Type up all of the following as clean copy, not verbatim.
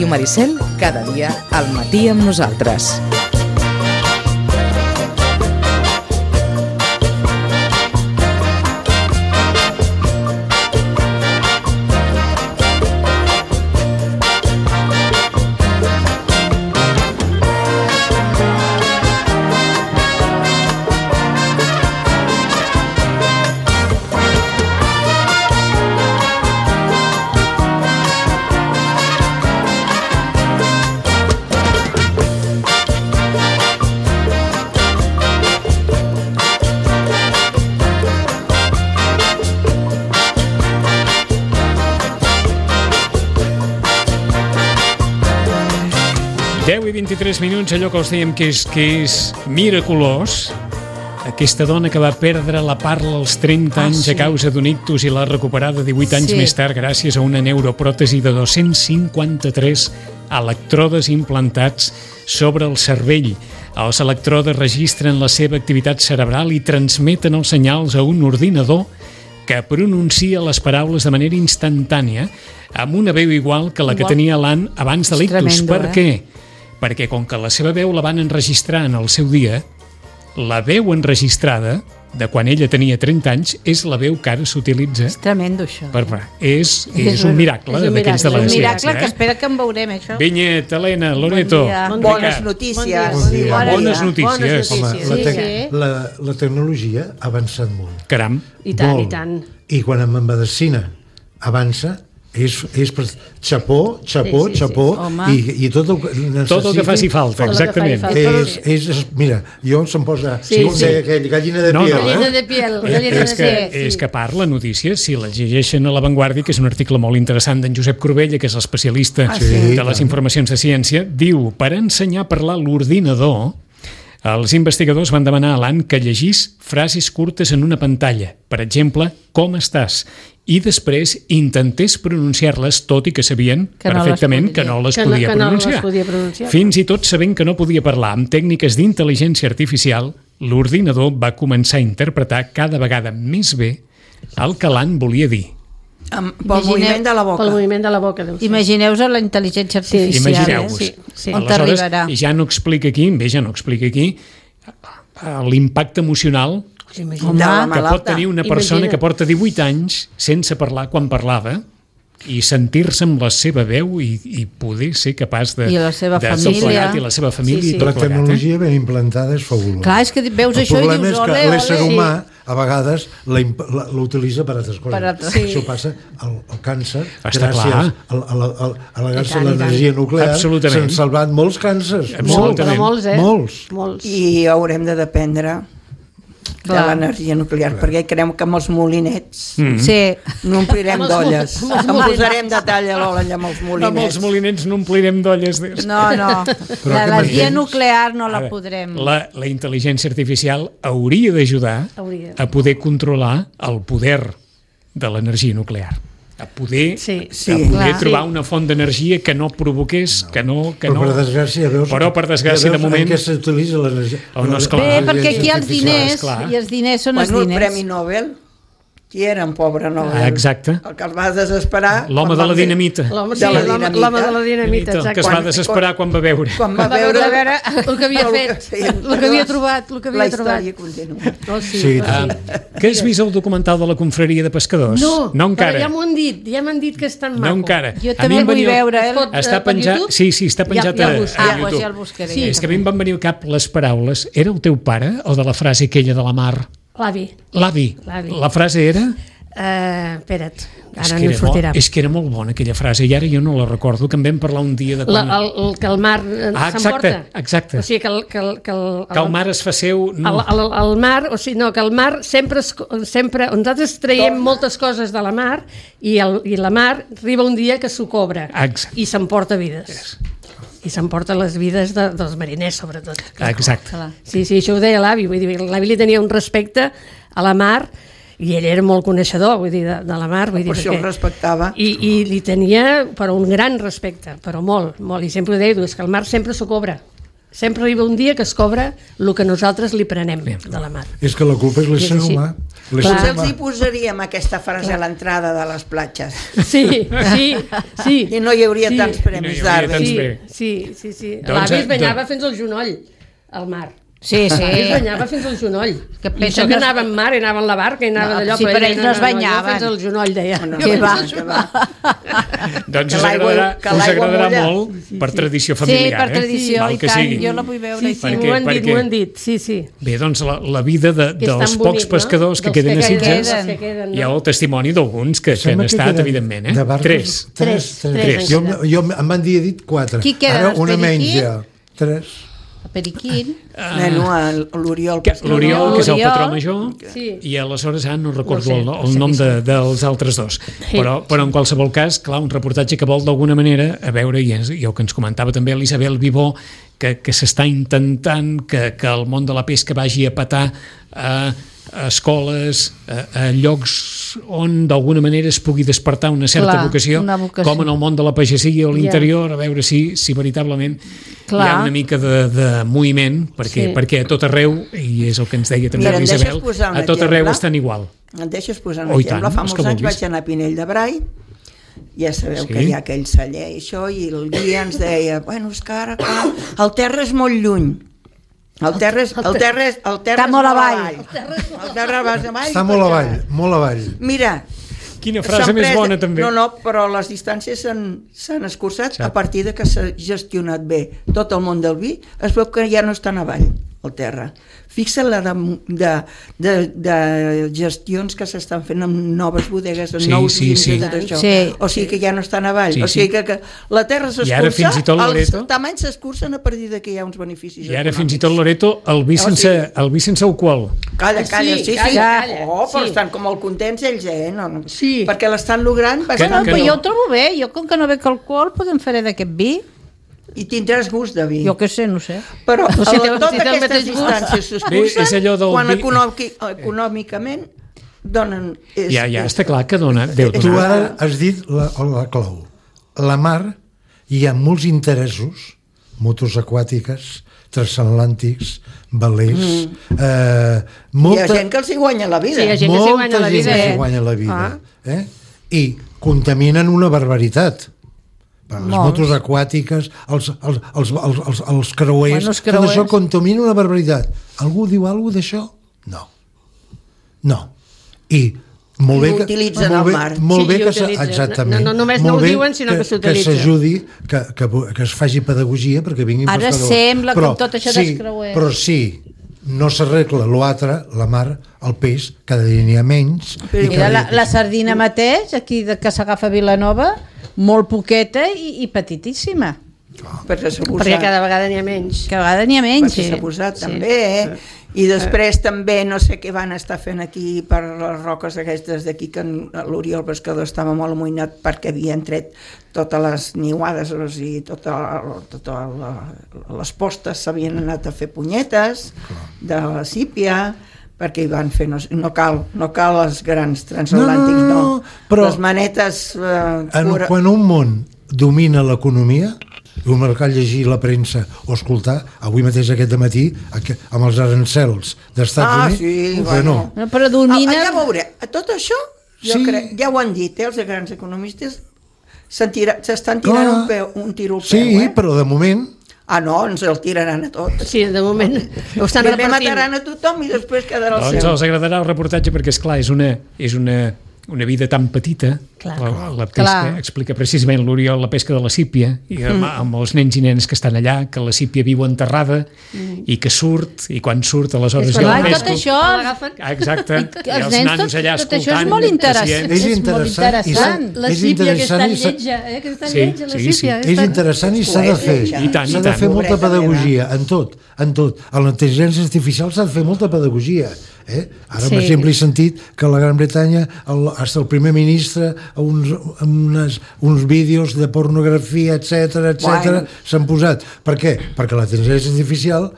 Ràdio Maricel, cada dia al matí amb nosaltres. i 23 minuts, allò que els dèiem que és miraculós. Aquesta dona que va perdre la parla als 30 anys a causa d'un ictus i l'ha recuperada 18 anys més tard gràcies a una neuropròtesi de 253 electrodes implantats sobre el cervell. Els electrodes registren la seva activitat cerebral i transmeten els senyals a un ordinador que pronuncia les paraules de manera instantània amb una veu igual que la que tenia l'Ann abans de l'ictus. Per què? Perquè com que la seva veu la van enregistrar en el seu dia, la veu enregistrada de quan ella tenia 30 anys és la veu que ara s'utilitza. És tremendo, això. És un miracle d'aquells de la ciència. És un miracle que espera que en veurem, això. Vinyet, Helena, Loreto. Bones notícies. Bones notícies. Home, la tecnologia ha avançat molt. Caram. I tant, i tant. I quan en medicina avança, és per xapó, i tot el que necessita... Tot el que faci falta, exactament. Mira, jo se'm posa gallina de piel. Gallina de piel. És que parla notícies, si la llegeixen a La Vanguardia, que és un article molt interessant d'en Josep Corbella, que és l'especialista de les informacions de ciència, diu, per ensenyar a parlar l'ordinador, els investigadors van demanar a l'Ann que llegís frases curtes en una pantalla. Per exemple, com estàs? I després intentés pronunciar-les, tot i que sabien perfectament que no les podia pronunciar. Fins i tot sabent que no podia parlar amb tècniques d'intel·ligència artificial, l'ordinador va començar a interpretar cada vegada més bé el que l'Ann volia dir. Pel moviment de la boca. Pel moviment de la boca. Imagineu-vos la intel·ligència artificial. Imagineu-vos. On t'arribarà. Ja no explica aquí l'impacte emocional que pot tenir una persona que porta 18 anys sense parlar quan parlava i sentir-se amb la seva veu i poder ser capaç de... I la seva família. I la seva família. La tecnologia ben implantada és fabulosa. Clar, és que veus això i dius, el problema és que l'ésser humà a vegades l'utilitza per altres coses. Això passa al càncer, gràcies a la gràcia de l'energia nuclear s'han salvat molts càncers. Molts. I haurem de dependre de l'energia nuclear, perquè creiem que amb els molinets no omplirem d'olles. Em posarem de talla l'olla amb els molinets. Amb els molinets no omplirem d'olles. No. L'energia nuclear no la podrem. La intel·ligència artificial hauria d'ajudar a poder controlar el poder de l'energia nuclear. A poder trobar una font d'energia que no provoqués, que no... Però per desgràcia, de moment... En què s'utilitza l'energia? Bé, perquè aquí hi ha els diners, i els diners són els diners. El Premi Nobel, qui era un pobre Nobel? Exacte. El que es va desesperar... L'home de la dinamita. L'home de la dinamita, exacte. Que es va desesperar quan va veure. Quan va veure el que havia fet, el que havia trobat. La història continua. Que has vist el documental de la confraria de pescadors? No, encara. Ja m'han dit que és tan maco. No encara. Jo també vull veure. Està penjat, està penjat a YouTube. Ja el buscaré. És que a mi em van venir al cap les paraules. Era el teu pare o de la frase aquella de la Mar? L'avi. La frase era? Espera't, ara no sortirà. És que era molt bona aquella frase i ara jo no la recordo, que en vam parlar un dia de quan... Que el mar s'emporta. Exacte. O sigui que el mar es fa seu... El mar, o sigui, no, que el mar sempre nosaltres traiem moltes coses de la mar i la mar arriba un dia que s'ho cobra i s'emporta vides. I s'emporta les vides dels mariners, sobretot. Exacte. Sí, això ho deia l'avi. Vull dir, l'avi li tenia un respecte a la mar i ell era molt coneixedor, vull dir, de la mar. Per això el respectava. I li tenia, però un gran respecte, però molt. I sempre ho deia, és que el mar sempre s'ho cobra. Sempre arriba un dia que es cobra el que nosaltres li prenem de la mar. És que la culpa és l'ésser humà. Doncs els hi posaríem aquesta frase a l'entrada de les platges. Sí. I no hi hauria tants premis d'àrbitre. Sí. L'avi es banyava fins al genoll, al mar. Sí. Es banyava fins al genoll. I això que anava en mar, anava en la barca, i anava d'allò... Sí, però ells no es banyaven. Fins al genoll, deia. Que va. Doncs us agradarà molt per tradició familiar. Sí, per tradició, i tant. Jo la vull veure. Sí, m'ho han dit, sí. Bé, doncs la vida dels pocs pescadors que queden a Sitges, hi ha el testimoni d'alguns que han estat, evidentment. Tres. Jo em van dir 4. Qui queda? Ara una menys ja. 3. Periquín. L'Oriol. L'Oriol, que és el patró major, i aleshores no recordo el nom dels altres dos. Però en qualsevol cas, clar, un reportatge que vol d'alguna manera, a veure, i el que ens comentava també l'Isabel Vivó, que s'està intentant que el món de la pesca vagi a petar a escoles, a llocs on d'alguna manera es pugui despertar una certa vocació, com en el món de la pagesia o l'interior, a veure si veritablement hi ha una mica de moviment, perquè a tot arreu, i és el que ens deia també l'Isabel, a tot arreu estan igual. Et deixes posar un exemple? Fa molts anys vaig anar a Pinell de Brai, ja sabeu que hi ha aquell celler i això, i el guia ens deia, bueno, és que ara el terra és molt lluny. El terra està molt avall. Està molt avall. Mira, quina frase més bona també. No, però les distàncies s'han escurçat a partir de que s'ha gestionat bé tot el món del vi. Es veu que ja no estan avall el terra. Fixa't la de gestions que s'estan fent amb noves bodegues, amb nous vins i tot això. O sigui que ja no estan avall. O sigui que la terra s'escurça, els tamanys s'escurcen a partir de que hi ha uns beneficis. I ara fins i tot, Loreto, el vi sense alcohol. Calla, sí. Però estan com molt contents ells, perquè l'estan logrant. Però jo ho trobo bé, jo com que no bec alcohol podem fer d'aquest vi. I tindràs gust de vi. Jo què sé, no sé. Però totes aquestes distàncies s'escurcen quan econòmicament donen... Ja està clar que dona... Tu ara has dit la clau. La mar, hi ha molts interessos, motos aquàtiques, transatlàntics, velers... Hi ha gent que els hi guanya la vida. Molta gent que els hi guanya la vida. I contaminen una barbaritat. Les motos aquàtiques, els creuers, tot això contamina una barbaritat. Algú diu alguna cosa d'això? No. I molt bé utilitzen el mar. Molt bé que exactament. No només no ho diuen, sinó que s'utilitza. Que s'ajudi, que es faci pedagogia perquè vinguin pescadors. Ara sembla com tot això dels creuers. Però sí, no s'arregla l'altre, la mar, el peix, cada dia n'hi ha menys. Mira, la sardina mateix, aquí que s'agafa a Vilanova, molt poqueta i petitíssima. Perquè cada vegada n'hi ha menys. Perquè s'ha posat també, I després també no sé què van estar fent aquí per les roques aquestes d'aquí, que l'Oriol Pescador estava molt amoïnat perquè havien tret totes les niuades, o sigui, totes les postes s'havien anat a fer punyetes de la sípia, perquè hi van fer, no cal els grans transatlàntics, però les manetes... Quan un món domina l'economia, el mercat llegir la premsa o escoltar, avui mateix aquest dematí amb els arancels d'Estats Units, però domina... Ja veuré, tot això jo crec, ja ho han dit, els grans economistes s'estan tirant un tiro al peu. Sí, però de moment... No, ens el tiraran a tot. Sí, de moment ho estan repartint. Primer mataran a tothom i després quedarà el seu. Doncs els agradarà el reportatge perquè, esclar, és una vida tan petita, la pesca, explica precisament l'Oriol la pesca de la sípia, i amb els nens i nenes que estan allà, que la sípia viu enterrada i que surt, i quan surt aleshores jo el pesco. Tot això... Exacte, i els nanos allà escoltant. Tot això és molt interessant. És interessant. La sípia que està lletja, que està lletja, la sípia. És interessant i s'ha de fer. S'ha de fer molta pedagogia, en tot. En la intel·ligència artificial s'ha de fer molta pedagogia. Ara, per exemple, he sentit que a la Gran Bretanya hasta el primer ministre uns vídeos de pornografia, etc s'han posat. Per què? Perquè la intel·ligència artificial,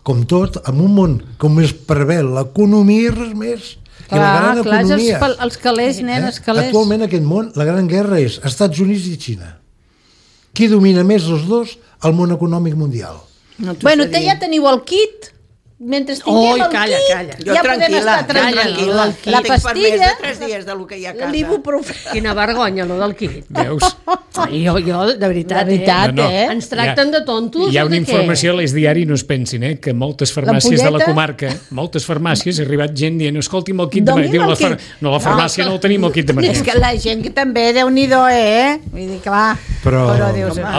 com tot, en un món com es preveu l'economia i res més. Clar, els calés, els calés. Actualment aquest món, la gran guerra és Estats Units i Xina. Qui domina més els dos? El món econòmic mundial. Bueno, ja teniu el kit. Mentre tinguem el kit, ja podem estar tranquil·la. La pastilla, 3 dies del que hi ha a casa. l'ibuprofè. Quina vergonya, lo del kit. Veus? Jo, de veritat, ens tracten de tontos. Hi ha una informació a l'Eix Diari, no es pensin, que moltes farmàcies de la comarca, moltes farmàcies, ha arribat gent dient, escolti'm el kit de mergència. No, la farmàcia no el tenim, el kit d'emergència. És que la gent que també, Déu-n'hi-do, Vull dir, clar. Però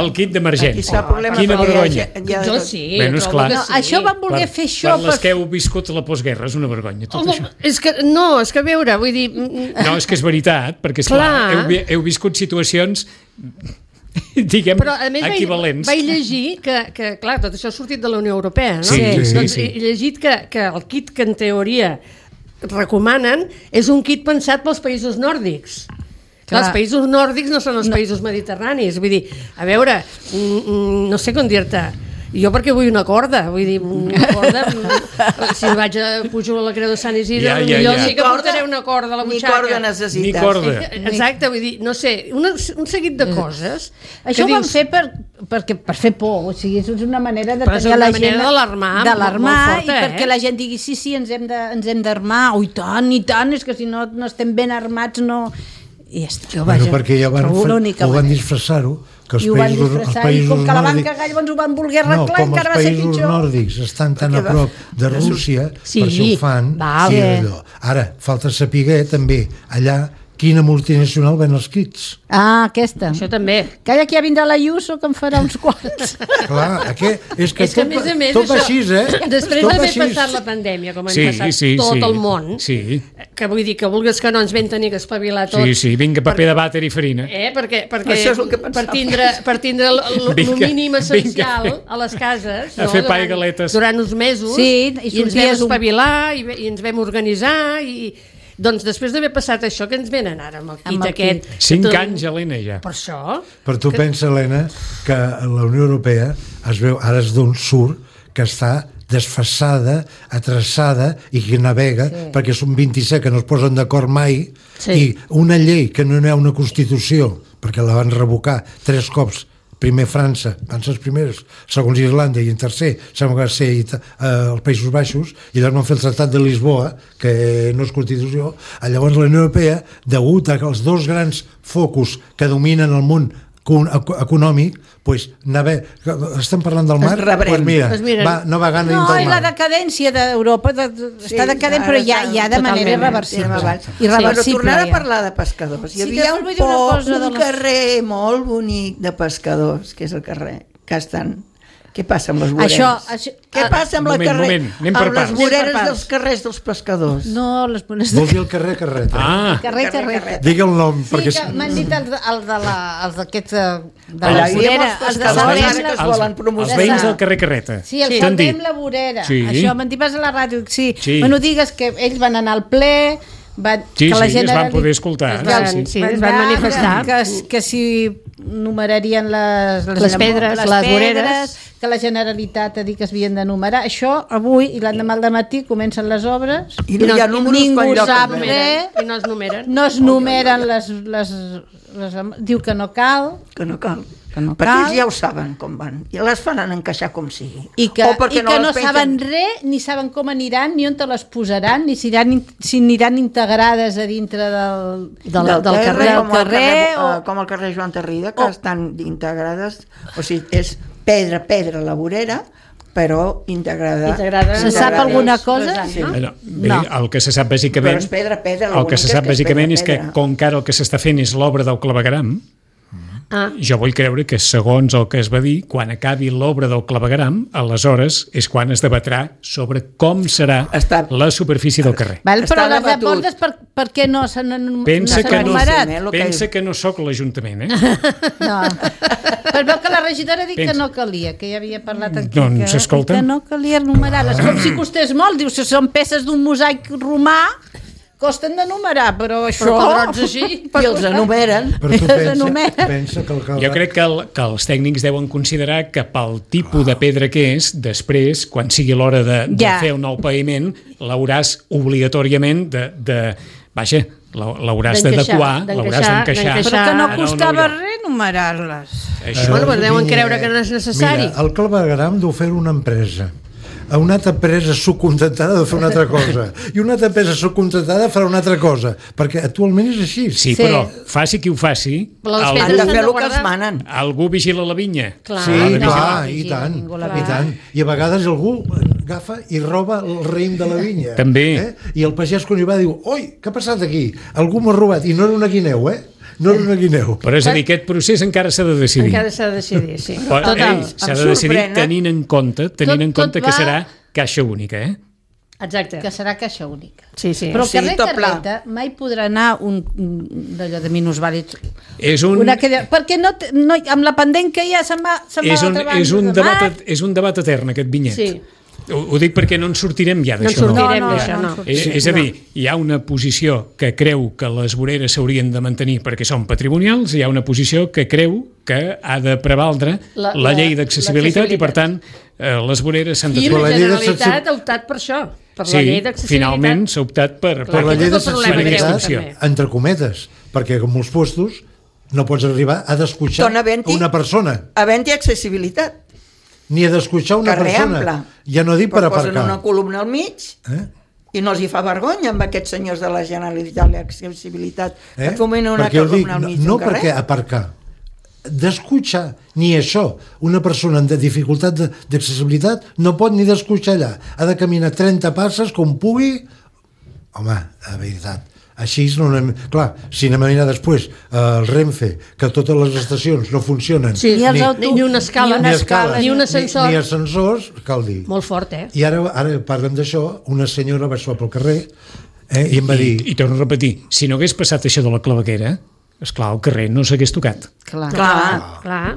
el kit d'emergència. Quina vergonya. Jo sí. Això van voler fer això. Per les que heu viscut la postguerra, és una vergonya, tot això. És que a veure, vull dir... No, és que és veritat, perquè, esclar, heu viscut situacions, diguem, equivalents. Vaig llegir que, clar, tot això ha sortit de la Unió Europea, no? Sí. He llegit que el kit que en teoria recomanen és un kit pensat pels països nòrdics. Clar, els països nòrdics no són els països mediterranis. Vull dir, a veure, no sé com dir-te... Jo perquè vull una corda, vull dir, una corda, si pujo a la Creu de Sant Isidre, millor sí que portaré una corda a la butxaca. Ni corda necessites. Ni corda. Exacte, vull dir, no sé, un seguit de coses. Això ho van fer per fer por, o sigui, és una manera de tenir la gent... d'alarmar, i perquè la gent digui, sí, ens hem d'armar, i tant, és que si no estem ben armats, no... I ja està. Bueno, perquè ja ho van disfressar-ho, que els països nòrdics... Com que la van cagar, llavors ho van voler arreglar, encara va ser pitjor. Com els països nòrdics estan tan a prop de Rússia, per això ho fan. Ara, falta saber també allà quina multinacional ven els kits. Ah, aquesta. Això també. Calla, que ja vindrà l'Ayuso, que en farà uns quants. Clar, és que tot va així, Després d'haver passat la pandèmia, com han passat tot el món, que vull dir que vulguis que no ens vam tenir que espavilar tots. Sí, vinga, paper de vàter i farina. Perquè per tindre el mínim essencial a les cases, a fer pa i galetes durant uns mesos, i ens vam espavilar, i ens vam organitzar, i... Doncs després d'haver passat això, que ens venen ara amb el kit aquest... 5 anys, Helena, ja. Per això... Però tu pensa, Helena, que la Unió Europea es veu, ara és d'on surt, que està desfasada, atrasada i que navega, perquè són 27 que no es posen d'acord mai, i una llei que no hi ha una Constitució, perquè la van revocar 3 cops, primer França, van ser els primers, segons Irlanda, i en tercer sembla que va ser els Països Baixos, i llavors van fer el Tractat de Lisboa, que no és Constitució. Llavors la Unió Europea, degut als 2 grans focus que dominen el món econòmic, estem parlant del mar, doncs mira, va navegant dins del mar. No, la decadència d'Europa està decadent, però ja de manera irreversible. Però tornant a parlar de pescadors, hi havia un carrer molt bonic de pescadors, que és el carrer Castan. Què passa amb les voreres? Què passa amb les voreres dels carrers dels pescadors? No, les voreres... Vols dir el carrer Carreta? Carrer. Digui el nom. Sí, que m'han dit els d'aquests de la vorera, els de Salem que es volen promocionar. Els veïns del carrer Carreta. Sí, el Salem la vorera. Això m'han dit, vas a la ràdio, sí. Bueno, digues que ells van anar al ple... es van poder escoltar. Es van manifestar. Que si numerarien les pedres, les voreres, que la Generalitat ha dit que es havien de numerar. Això avui i l'endemà al matí comencen les obres i no hi ha números ningú sap res. I no es numeren. No es numeren les... Diu que no cal. Que no cal. Perquè ells ja ho saben com van i les fan encaixar com sigui i que no saben res, ni saben com aniran, ni on te les posaran, ni si aniran integrades a dintre del carrer com el carrer Joan Tarrida, que estan integrades, o sigui, és pedra la vorera, però integrada. Se sap alguna cosa? No. El que se sap bàsicament és que com que ara el que s'està fent és l'obra del clavegueram, jo vull creure que segons el que es va dir, quan acabi l'obra del clavegueram, aleshores és quan es debatrà sobre com serà la superfície del carrer. Però les aportes per què no s'han enumerat? Pensa que no sóc l'Ajuntament, No. Però veu que la regidora ha dit que no calia, que ja havia parlat aquí, doncs, que no calia enumerar-les, com si costés molt, diu, si són peces d'un mosaic romà, costen de numerar, però això... I els enumeren. Però tu pensa que jo crec que els tècnics deuen considerar que pel tipus de pedra que és, després, quan sigui l'hora de fer un nou paviment, l'hauràs obligatoriament l'hauràs d'adequar, l'hauràs d'encaixar. Però que no costava res enumerar-les. Bueno, deuen creure que no és necessari. Mira, el clavegueram deu fer una empresa. A una altra empresa subcontratada de fer una altra cosa i una altra empresa subcontratada farà una altra cosa, perquè actualment és així. Sí, però faci qui ho faci, han de fer el que els manen. Algú vigila la vinya. Sí, clar, i tant. I a vegades algú agafa i roba el raïm de la vinya. També. I el pagès quan hi va diu, oi, què ha passat aquí? Algú m'ha robat, i no era una guineu, no era una guineu. Però és a dir, aquest procés encara s'ha de decidir. Encara s'ha de decidir, sí. Total. S'ha de decidir tenint en compte que serà caixa única, Exacte. Que serà caixa única. Sí. Però el carrer Carreta mai podrà anar un d'allò de minusvàlids. És un... Perquè no, amb la pendent que hi ha se'n va a l'altra banda. És un debat etern, aquest vinyet. Sí. Ho dic perquè no en sortirem ja d'això. No sortirem d'això, no. És a dir, hi ha una posició que creu que les voreres s'haurien de mantenir perquè són patrimonials, hi ha una posició que creu que ha de prevaldre la llei d'accessibilitat i, per tant, les voreres s'han de... I la Generalitat ha optat per això, per la llei d'accessibilitat. Finalment s'ha optat per la llei d'accessibilitat, entre cometes, perquè en molts puestos no pots arribar a descotxar una persona. Havent-hi accessibilitat. Ni a descotxar una persona. Ja no dic per aparcar. Posen una columna al mig i no els hi fa vergonya amb aquests senyors de la Generalitat l'accessibilitat que fomenten una columna al mig d'un carrer. No perquè aparcar, descotxar, ni això. Una persona amb dificultat d'accessibilitat no pot ni descotxar allà. Ha de caminar 30 passes com pugui. Home, de veritat. Així no anem... Clar, si anem a mirar després el Renfe, que totes les estacions no funcionen, ni una escala, ni un ascensor, ni ascensors, cal dir. Molt fort, I ara parlem d'això, una senyora va sortir pel carrer i em va dir... I torno a repetir, si no hagués passat això de la claveguera, esclar, el carrer no s'hagués tocat. Clar.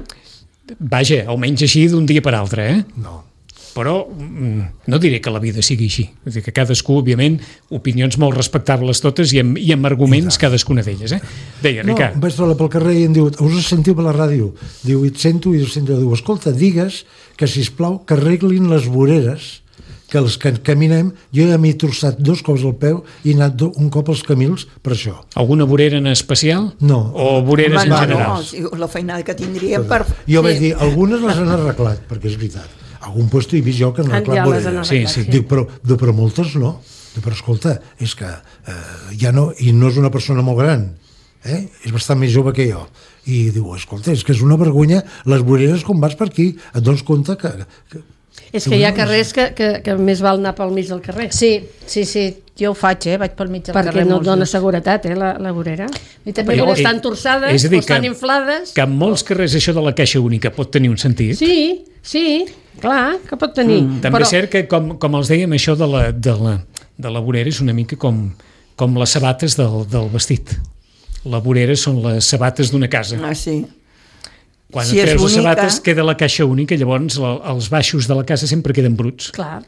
Vaja, almenys així d'un dia per altre, No. Però no diré que la vida sigui així. És dir, que cadascú, òbviament, opinions molt respectables totes i amb arguments cadascuna d'elles. Deia, Ricard. Vaig trobar pel carrer i em diu, us sentiu per la ràdio? Diu, et sento, i diu, escolta, digues que, sisplau, que arreglin les voreres, que els que caminem, jo ja m'he torçat 2 cops al peu i he anat un cop als camins per això. Alguna vorera en especial? No. O voreres en general? No, la feinada que tindríem per... Jo vaig dir, algunes les han arreglat, perquè és veritat. Algun lloc he vist jo que han arreglat voreres. Sí. Dic, però moltes no. Però escolta, és que ja no, i no és una persona molt gran, és bastant més jove que jo. I diu, escolta, és que és una vergonya, les voreres com vas per aquí, et dones compte que és que hi ha carrers que més val anar pel mig del carrer. Sí, jo ho faig, vaig pel mig del carrer. Perquè no et dona seguretat, la vorera. I també estan torçades, o estan inflades. Que en molts carrers això de la caixa única pot tenir un sentit. Sí, clar, que pot tenir. També és cert que, com els dèiem, això de la vorera és una mica com les sabates del vestit. La vorera són les sabates d'una casa. Sí. Quan treus les sabates queda la caixa única, llavors els baixos de la casa sempre queden bruts. Clar.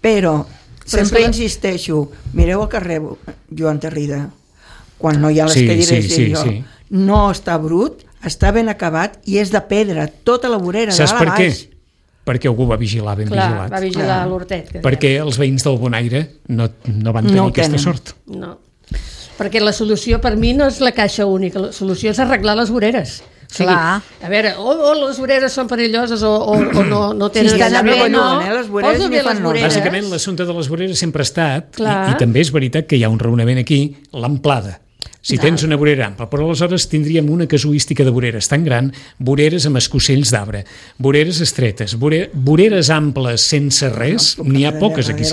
Però sempre insisteixo, mireu el carrer Joan Tarrida, quan no hi ha les cadires no està brut, està ben acabat i és de pedra, tota la vorera de dalt a baix. Perquè algú va vigilar ben vigilat. Va vigilar l'hortet. Perquè els veïns del Bonaire no van tenir aquesta sort. No, perquè la solució per mi no és la caixa única, la solució és arreglar les voreres. O sigui, a veure, o les voreres són perilloses o no tenen... les voreres ni fan no. Bàsicament, l'assumpte de les voreres sempre ha estat, i també és veritat que hi ha un raonament aquí, l'amplada. Si tens una vorera ampla, però aleshores tindríem una casuística de voreres tan gran, voreres amb escossells d'arbre, voreres estretes, voreres amples sense res, n'hi ha poques aquí.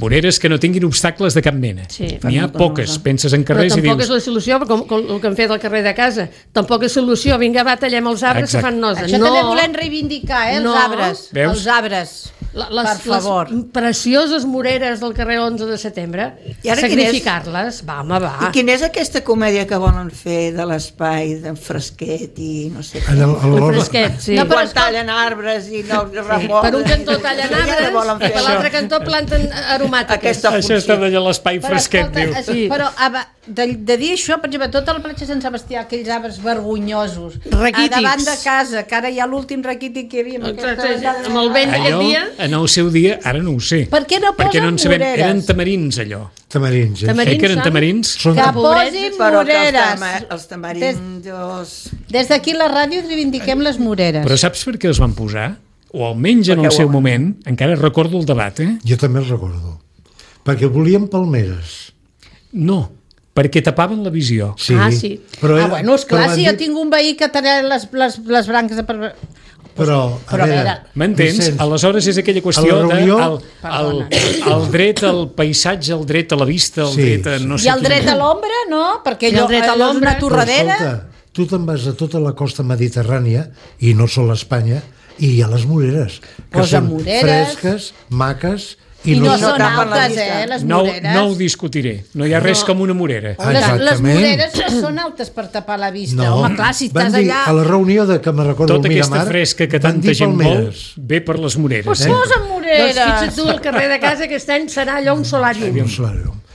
Voreres que no tinguin obstacles de cap mena. N'hi ha poques, penses en carrers i dius... Però tampoc és la solució, com el que han fet al carrer de casa. Tampoc és solució, vinga, va, tallem els arbres que fan nosa. Això també volem reivindicar, els arbres. Els arbres. Per favor. Les precioses moreres del carrer 11 de setembre, sacrificar-les, va. I quina és aquesta comèdia que volen fer de l'espai d'en Fresquet i no sé què? El Fresquet, sí. No, quan tallen arbres i no remolen. Per un cantó tallen arbres i per l'altre cantó planten aromàtiques. Això està d'allà l'espai Fresquet, diu. Però de dir això, per exemple, tota la platja Sant Sebastià, aquells arbres vergonyosos, raquítics, davant de casa, que ara hi ha l'últim raquític que hi havia amb el vent aquest dia. En el seu dia, ara no ho sé. Per què no posen voreres? Eren tamarins, allò. Tamarins, que eren tamarins? Que posin moreres. Els tamarins... Des d'aquí a la ràdio reivindiquem les moreres. Però saps per què els van posar? O almenys en el seu moment, encara recordo el debat, Jo també el recordo. Perquè volien palmeres. No, perquè tapaven la visió. Sí. Però bueno, esclar, si jo tinc un veí que talla les branques de... Però a veure... M'entens? Aleshores és aquella qüestió el dret al paisatge, el dret a la vista, el dret a no sé... I el dret a l'ombra, no? Perquè allò és una torradera. Escolta, tu te'n vas a tota la costa mediterrània, i no sol Espanya, i hi ha les moreres, que són fresques, maques... I no són altes, les moreres. No ho discutiré. No hi ha res com una morera. Les moreres són altes per tapar la vista. Home, clar, si estàs allà... A la reunió que me recordo tota aquesta fresca que tanta gent vol ve per les moreres. Pues posa moreres. Doncs fixa't tu, el carrer de casa aquest any serà allò un solàrium.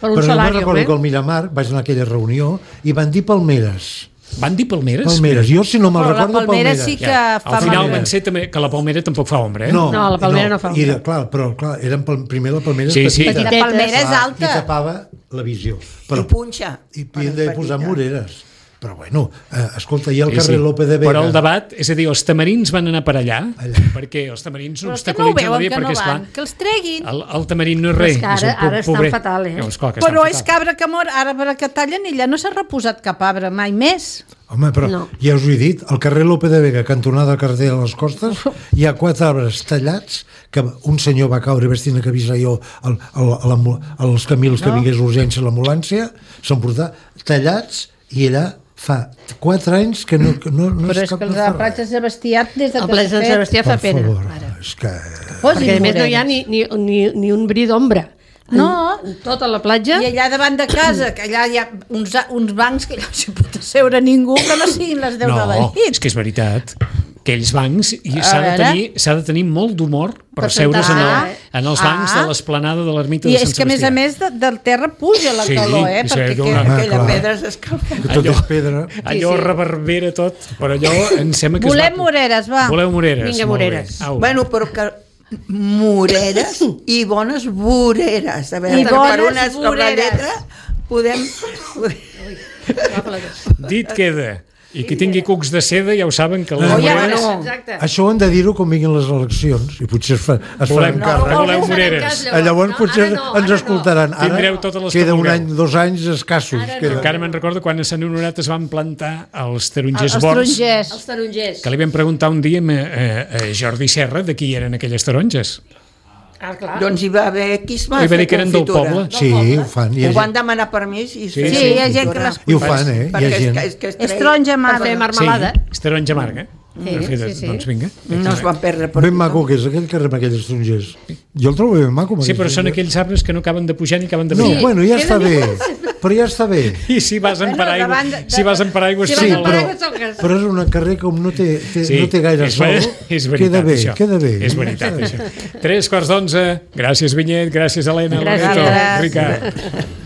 Però jo me'n recordo que al Miramar vaig anar a aquella reunió i van dir palmeres. Van dir palmeres? Palmeres, jo si no me'n recordo palmeres. Sí que fa al final van ser també que la palmera tampoc fa ombra, No, la palmera no fa ombra. Però clar, eren primer la palmera petita. La palmera és alta. I tapava la visió. I punxa. I havien de posar moreres. Però bueno, escolta, hi ha el carrer Lope de Vega. Però el debat, és a dir, els tamarins van anar per allà, perquè els tamarins no obstaculitzen la via, perquè esclar... Que els treguin. El tamarín no és res. Ara estan fatal, Però és cabra que mor, ara per que tallen ella no s'ha reposat cap arbre mai més. Home, però ja us ho he dit, al carrer Lope de Vega, cantonada carrer de les Costes, hi ha 4 arbres tallats, que un senyor va caure vestint a camisa jo als camils que vingués urgència a l'ambulància, s'han portat tallats i allà fa 4 anys que no però és que el de Platja Sebastià des de el Platja Sebastià fa pena. És que... Perquè a més no hi ha ni un bri d'ombra. No, tota la platja. I allà davant de casa, que allà hi ha uns bancs que allà s'hi pot asseure ningú que no siguin les 10 de la nit. No, és que és veritat. Aquells bancs s'ha de tenir molt d'humor per seure's en els bancs de l'esplanada de l'ermita de Sant Sebastià. I és que a més a més del terra puja la calor, perquè aquella pedra s'escalfa. Tot és pedra. Allò reverbera tot, però allò em sembla que volem moreres, va. Voleu moreres. Vinga, moreres. Bueno, però que moreres i bones voreres. A veure, per una sola lletra podem... Dit queda. I qui tingui cucs de seda ja ho saben que les moreres... Això ho hem de dir-ho quan vinguin les eleccions i potser es faran càrrec. Voleu moreres. Llavors potser ens escoltaran. Ara queda un any, 2 anys escassos. Encara me'n recordo quan a Sant Honorat es van plantar els tarongers bords. Els tarongers. Que li vam preguntar un dia a Jordi Serra de qui eren aquelles taronges. Doncs hi va haver qui es va fer confitura. Que eren del poble. Sí, ho fan. Ho van demanar permís i hi ha gent que les... I ho fan, hi ha gent. És taronja amarga. Per fer marmelada. Sí, és taronja amarga. Doncs vinga. No es van perdre per... Ben maco que és aquell carrer amb aquells estrongers. Jo el trobo ben maco. Sí, però són aquells arbres que no acaben de pujar ni acaben de baixar. No, bueno, ja està bé. Però ja està bé. I si vas en paraigua... Però és un carrer com no té gaire sol. Queda bé. És veritat, això. 3:15. Gràcies, Vinyet. Gràcies, Helena. Gràcies. Ricard.